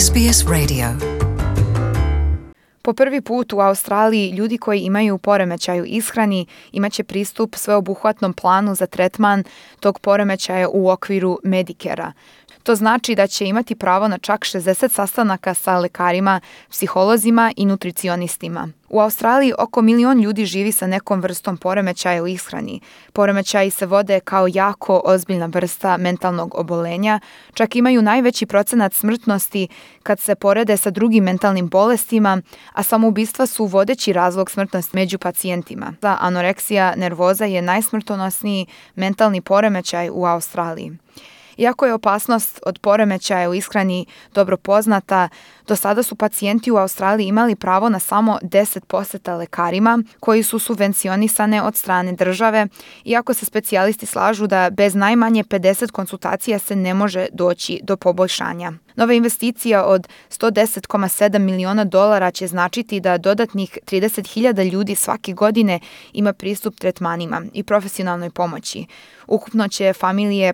SBS Radio. Po prvi put u Australiji ljudi koji imaju poremećaj u ishrani imaće pristup sveobuhvatnom planu za tretman tog poremećaja u okviru Medicare-a. To znači da će imati pravo na čak 60 sastanaka sa lekarima, psiholozima i nutricionistima. U Australiji oko 1 milion ljudi živi sa nekom vrstom poremećaja u ishrani. Poremećaji se vode kao jako ozbiljna vrsta mentalnog obolenja, čak imaju najveći procenat smrtnosti kad se porede sa drugim mentalnim bolestima, a samoubistva su vodeći razlog smrtnosti među pacijentima. Anoreksija nervoza je najsmrtonosniji mentalni poremećaj u Australiji. Iako je opasnost od poremećaja u ishrani dobro poznata, do sada su pacijenti u Australiji imali pravo na samo 10 poseta lekarima koji su subvencionisane od strane države, iako se specijalisti slažu da bez najmanje 50 konsultacija se ne može doći do poboljšanja. Nova investicija od $110,7 miliona će značiti da dodatnih 30.000 ljudi svake godine ima pristup tretmanima i profesionalnoj pomoći. Ukupno će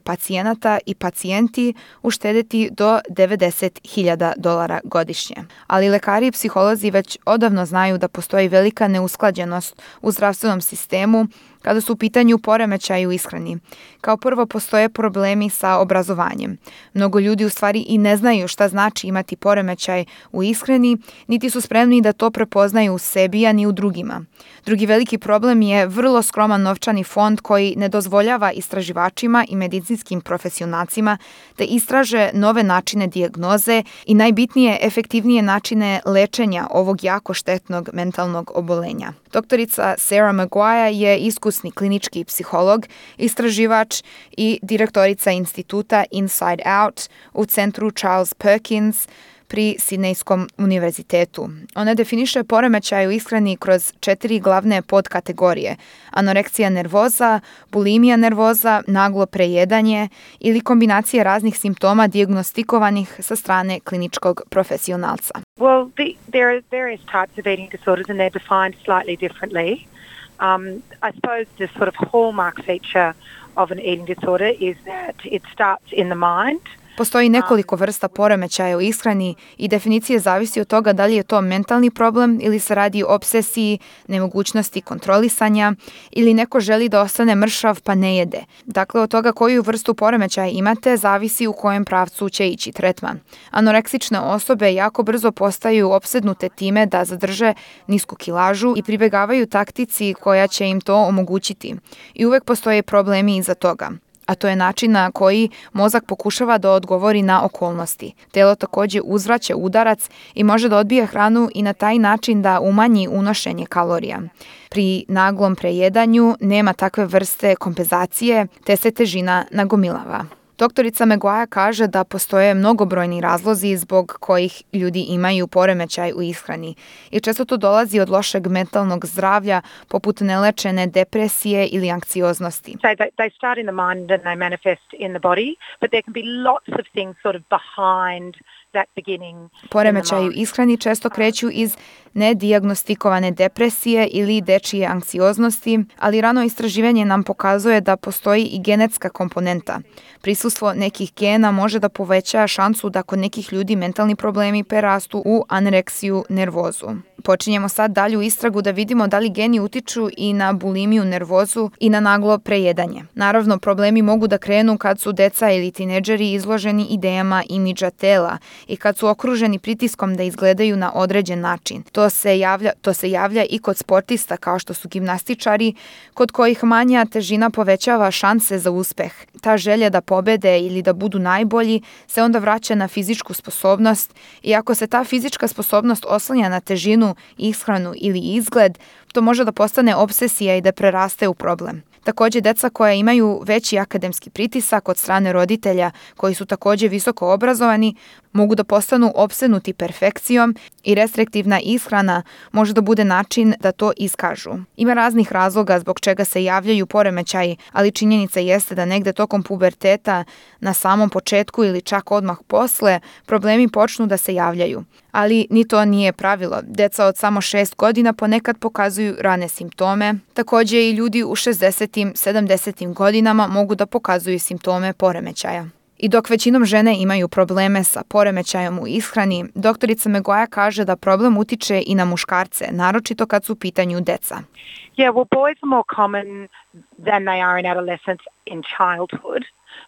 pacijenata i pacijenti uštedeti do $90.000 godišnje. Ali lekari i psiholozi već odavno znaju da postoji velika neusklađenost u zdravstvenom sistemu kada su u pitanju poremećaji u ishrani. Kao prvo postoje problemi sa obrazovanjem. Mnogo ljudi u stvari i ne znaju šta znači imati poremećaj u ishrani, niti su spremni da to prepoznaju u sebi, a ni u drugima. Drugi veliki problem je vrlo skroman novčani fond koji ne dozvoljava istraživačima i medicinskim profesionalcima da istraže nove načine dijagnoze i najbitnije efektivnije načine lečenja ovog jako štetnog mentalnog obolenja. Doktorica Sarah Maguire je iskusni klinički psiholog, istraživač i direktorica instituta Inside Out u centru Charles Perkins pri Sidnejskom univerzitetu. Ona definiše poremećaj u ishrani kroz 4 glavne podkategorije: anoreksija nervoza, bulimija nervoza, naglo prejedanje ili kombinacija raznih simptoma dijagnostikovanih sa strane kliničkog profesionalca. Well, there are various types of eating disorders and they're defined slightly differently. I suppose the sort of hallmark feature of an eating disorder is that it starts in the mind. Postoji nekoliko vrsta poremećaja u ishrani i definicija zavisi od toga da li je to mentalni problem ili se radi o obsesiji, nemogućnosti kontrolisanja ili neko želi da ostane mršav pa ne jede. Dakle, od toga koju vrstu poremećaja imate zavisi u kojem pravcu će ići tretman. Anoreksične osobe jako brzo postaju opsednute time da zadrže nisku kilažu i pribegavaju taktici koja će im to omogućiti. I uvek postoje problemi iza toga. A to je način na koji mozak pokušava da odgovori na okolnosti. Telo također uzvraća udarac i može da odbije hranu i na taj način da umanji unošenje kalorija. Pri naglom prejedanju nema takve vrste kompenzacije, te se težina nagomilava. Doktorica Maguire kaže da postoje mnogobrojni razlozi zbog kojih ljudi imaju poremećaj u ishrani i često to dolazi od lošeg mentalnog zdravlja poput nelečene depresije ili anksioznosti. So they start in the mind and they manifest in the body, but there can be lots of things sort of behind that beginning. Poremećaji u ishrani često kreću iz nedijagnostikovane depresije ili dečije anksioznosti, ali rano istraživanje nam pokazuje da postoji i genetska komponenta. Prisustvo nekih gena može da poveća šansu da kod nekih ljudi mentalni problemi prerastu u anoreksiju nervozu. Počinjemo sad dalju istragu da vidimo da li geni utiču i na bulimiju nervozu i na naglo prejedanje. Naravno, problemi mogu da krenu kad su deca ili tineđeri izloženi idejama imidža tela i kad su okruženi pritiskom da izgledaju na određen način. To se javlja i kod sportista kao što su gimnastičari, kod kojih manja težina povećava šanse za uspeh. Ta želja da pobede ili da budu najbolji se onda vraća na fizičku sposobnost i ako se ta fizička sposobnost oslanja na težinu, ishranu ili izgled, to može da postane obsesija i da preraste u problem. Također, deca koja imaju veći akademski pritisak od strane roditelja koji su također visoko obrazovani mogu da postanu opsednuti perfekcijom i restriktivna ishrana može da bude način da to iskažu. Ima raznih razloga zbog čega se javljaju poremećaji, ali činjenica jeste da negde tokom puberteta, na samom početku ili čak odmah posle, problemi počnu da se javljaju. Ali ni to nije pravilo. Deca od samo 6 godina ponekad pokazuju rane simptome. Također i ljudi u 60. 70. godinama mogu da pokazuju simptome poremećaja. I dok većinom žene imaju probleme sa poremećajom u ishrani, doktorica Maguire kaže da problem utiče i na muškarce, naročito kad su u pitanju deca. Yeah, well, boys are more common than they are in adolescence in childhood.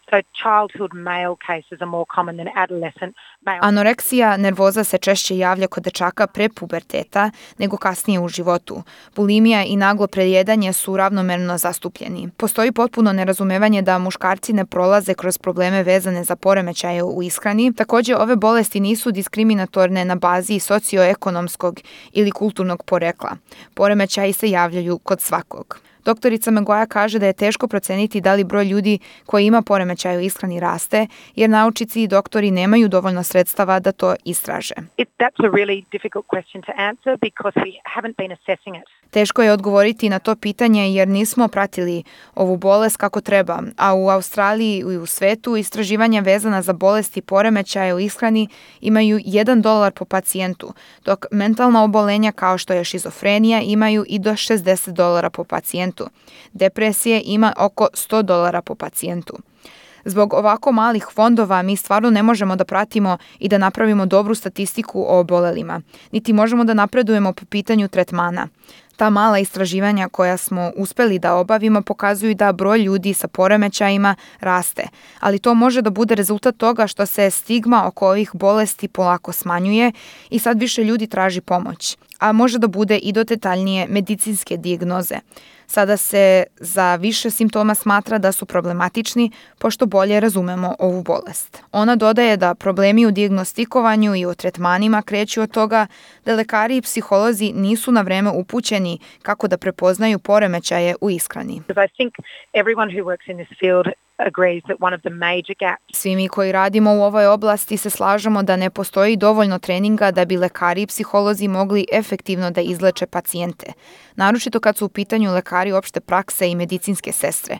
So childhood male cases are more common than adolescent male. Anoreksija nervoza se češće javlja kod dečaka pre puberteta nego kasnije u životu. Bulimija i naglo prejedanje su ravnomerno zastupljeni. Postoji potpuno nerazumevanje da muškarci ne prolaze kroz probleme vezane za poremećaje u ishrani. Također, ove bolesti nisu diskriminatorne na bazi socioekonomskog ili kulturnog porekla. Poremećaji se javljaju kod svakog. Doktorica Maguire kaže da je teško proceniti da li broj ljudi koji ima poremećaj u ishrani raste, jer naučnici i doktori nemaju dovoljno sredstava da to istraže. That's a really difficult question to answer because we haven't been assessing it. Teško je odgovoriti na to pitanje jer nismo pratili ovu bolest kako treba, a u Australiji i u svetu istraživanja vezana za bolesti poremećaja u ishrani imaju $1 po pacijentu, dok mentalna obolenja kao što je šizofrenija imaju i do $60 po pacijentu. Depresije ima oko $100 po pacijentu. Zbog ovako malih fondova mi stvarno ne možemo da pratimo i da napravimo dobru statistiku o obolelima, niti možemo da napredujemo po pitanju tretmana. Ta mala istraživanja koja smo uspeli da obavimo pokazuju da broj ljudi sa poremećajima raste, ali to može da bude rezultat toga što se stigma oko ovih bolesti polako smanjuje i sad više ljudi traži pomoć, a može da bude i do detaljnije medicinske dijagnoze. Sada se za više simptoma smatra da su problematični, pošto bolje razumemo ovu bolest. Ona dodaje da problemi u dijagnostikovanju i u tretmanima kreću od toga da lekari i psiholozi nisu na vreme upućeni kako da prepoznaju poremećaje u ishrani. I think everyone who works in this field agrees that one of the major gaps. Svi mi koji radimo u ovoj oblasti se slažemo da ne postoji dovoljno treninga da bi lekari i psiholozi mogli efektivno da izleče pacijente, naročito kad su u pitanju lekari opšte prakse i medicinske sestre.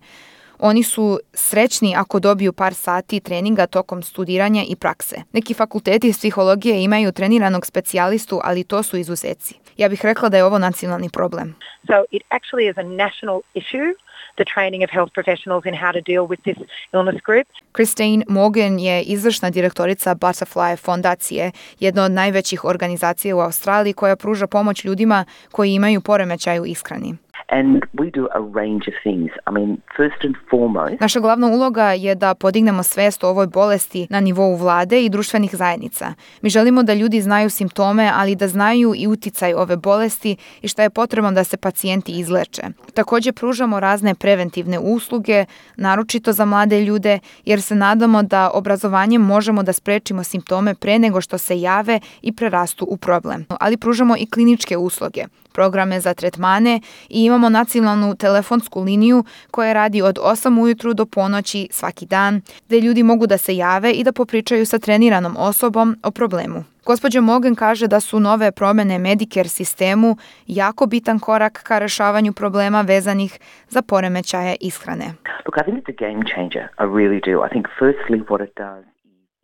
Oni su srećni ako dobiju par sati treninga tokom studiranja i prakse. Neki fakulteti psihologije imaju treniranog specijalistu, ali to su izuzeci. Ja bih rekla da je ovo nacionalni problem. So it actually is a national issue, the training of health professionals in how to deal with this illness group. Christine Morgan je izvršna direktorica Butterfly fondacije, jedna od najvećih organizacija u Australiji koja pruža pomoć ljudima koji imaju poremećaj u ishrani. And we do a range of things. I mean, first and foremost, naša glavna uloga je da podignemo svest o ovoj bolesti na nivou vlade i društvenih zajednica. Mi želimo da ljudi znaju simptome, ali da znaju i uticaj ove bolesti i šta je potrebno da se pacijenti izleče. Također pružamo razne preventivne usluge, naročito za mlade ljude, jer se nadamo da obrazovanjem možemo da sprečimo simptome pre nego što se jave i prerastu u problem. Ali pružamo i kliničke usluge, programe za tretmane i imamo nacionalnu telefonsku liniju koja radi od 8 ujutru do ponoći svaki dan, gdje ljudi mogu da se jave i da popričaju sa treniranom osobom o problemu. Gospođa Morgan kaže da su nove promjene Medicare sistemu jako bitan korak ka rešavanju problema vezanih za poremećaje ishrane. Look, I think it's a game changer. I really do. I think firstly what it does.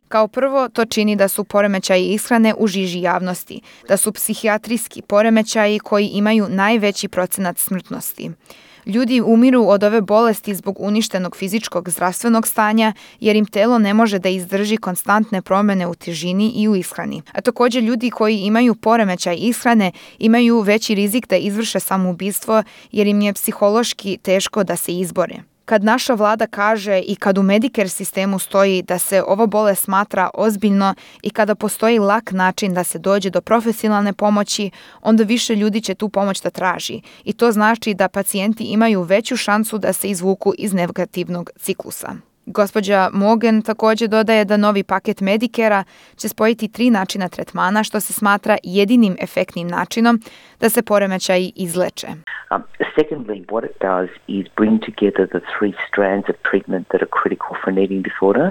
Kao prvo, to čini da su poremećaji ishrane u žiži javnosti, da su psihijatrijski poremećaji koji imaju najveći procenat smrtnosti. Ljudi umiru od ove bolesti zbog uništenog fizičkog zdravstvenog stanja jer im telo ne može da izdrži konstantne promjene u težini i u ishrani. A također ljudi koji imaju poremećaj ishrane imaju veći rizik da izvrše samoubistvo jer im je psihološki teško da se izbore. Kad naša vlada kaže i kad u Medicare sistemu stoji da se ova bolest smatra ozbiljno i kada postoji lak način da se dođe do profesionalne pomoći, onda više ljudi će tu pomoć da traži. I to znači da pacijenti imaju veću šansu da se izvuku iz negativnog ciklusa. Gospođa Morgan također dodaje da novi paket Medicare-a će spojiti 3 načina tretmana, što se smatra jedinim efektnim načinom da se poremećaji izleče. Secondly, what it does is bring together the 3 strands of treatment that are critical for an eating disorder.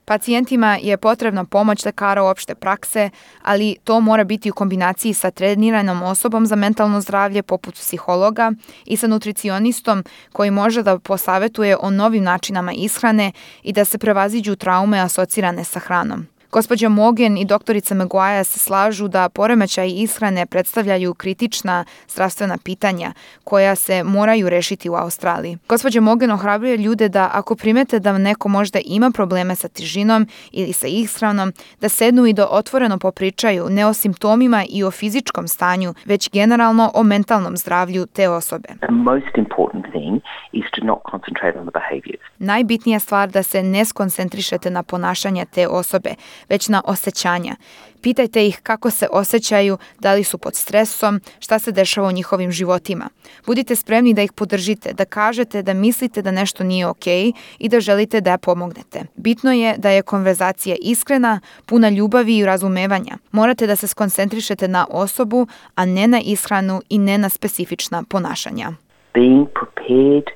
Pacijentima je potrebna pomoć lekara opšte prakse, ali to mora biti u kombinaciji sa treniranom osobom za mentalno zdravlje poput psihologa i sa nutricionistom koji može da posavetuje o novim načinama ishrane i da se prevaziđu traume asocirane sa hranom. Gospođa Mogen i doktorica Maguire se slažu da poremećaji ishrane predstavljaju kritična zdravstvena pitanja koja se moraju rešiti u Australiji. Gospođa Mogen ohrabruje ljude da ako primete da neko možda ima probleme sa težinom ili sa ishranom, da sednu i da otvoreno popričaju ne o simptomima i o fizičkom stanju, već generalno o mentalnom zdravlju te osobe. The most important thing is to not concentrate on the behaviors. Najbitnija stvar da se ne skoncentrišete na ponašanja te osobe, već na osjećanja. Pitajte ih kako se osjećaju, da li su pod stresom, šta se dešava u njihovim životima. Budite spremni da ih podržite, da kažete da mislite da nešto nije okej i da želite da pomognete. Bitno je da je konverzacija iskrena, puna ljubavi i razumevanja. Morate da se skoncentrišete na osobu, a ne na ishranu i ne na specifična ponašanja. Being prepared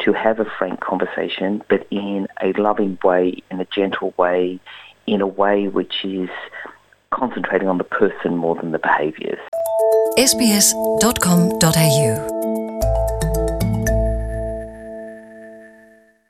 to have a frank conversation, but in a loving way, in a gentle way, in a way which is concentrating on the person more than the behaviours. sbs.com.au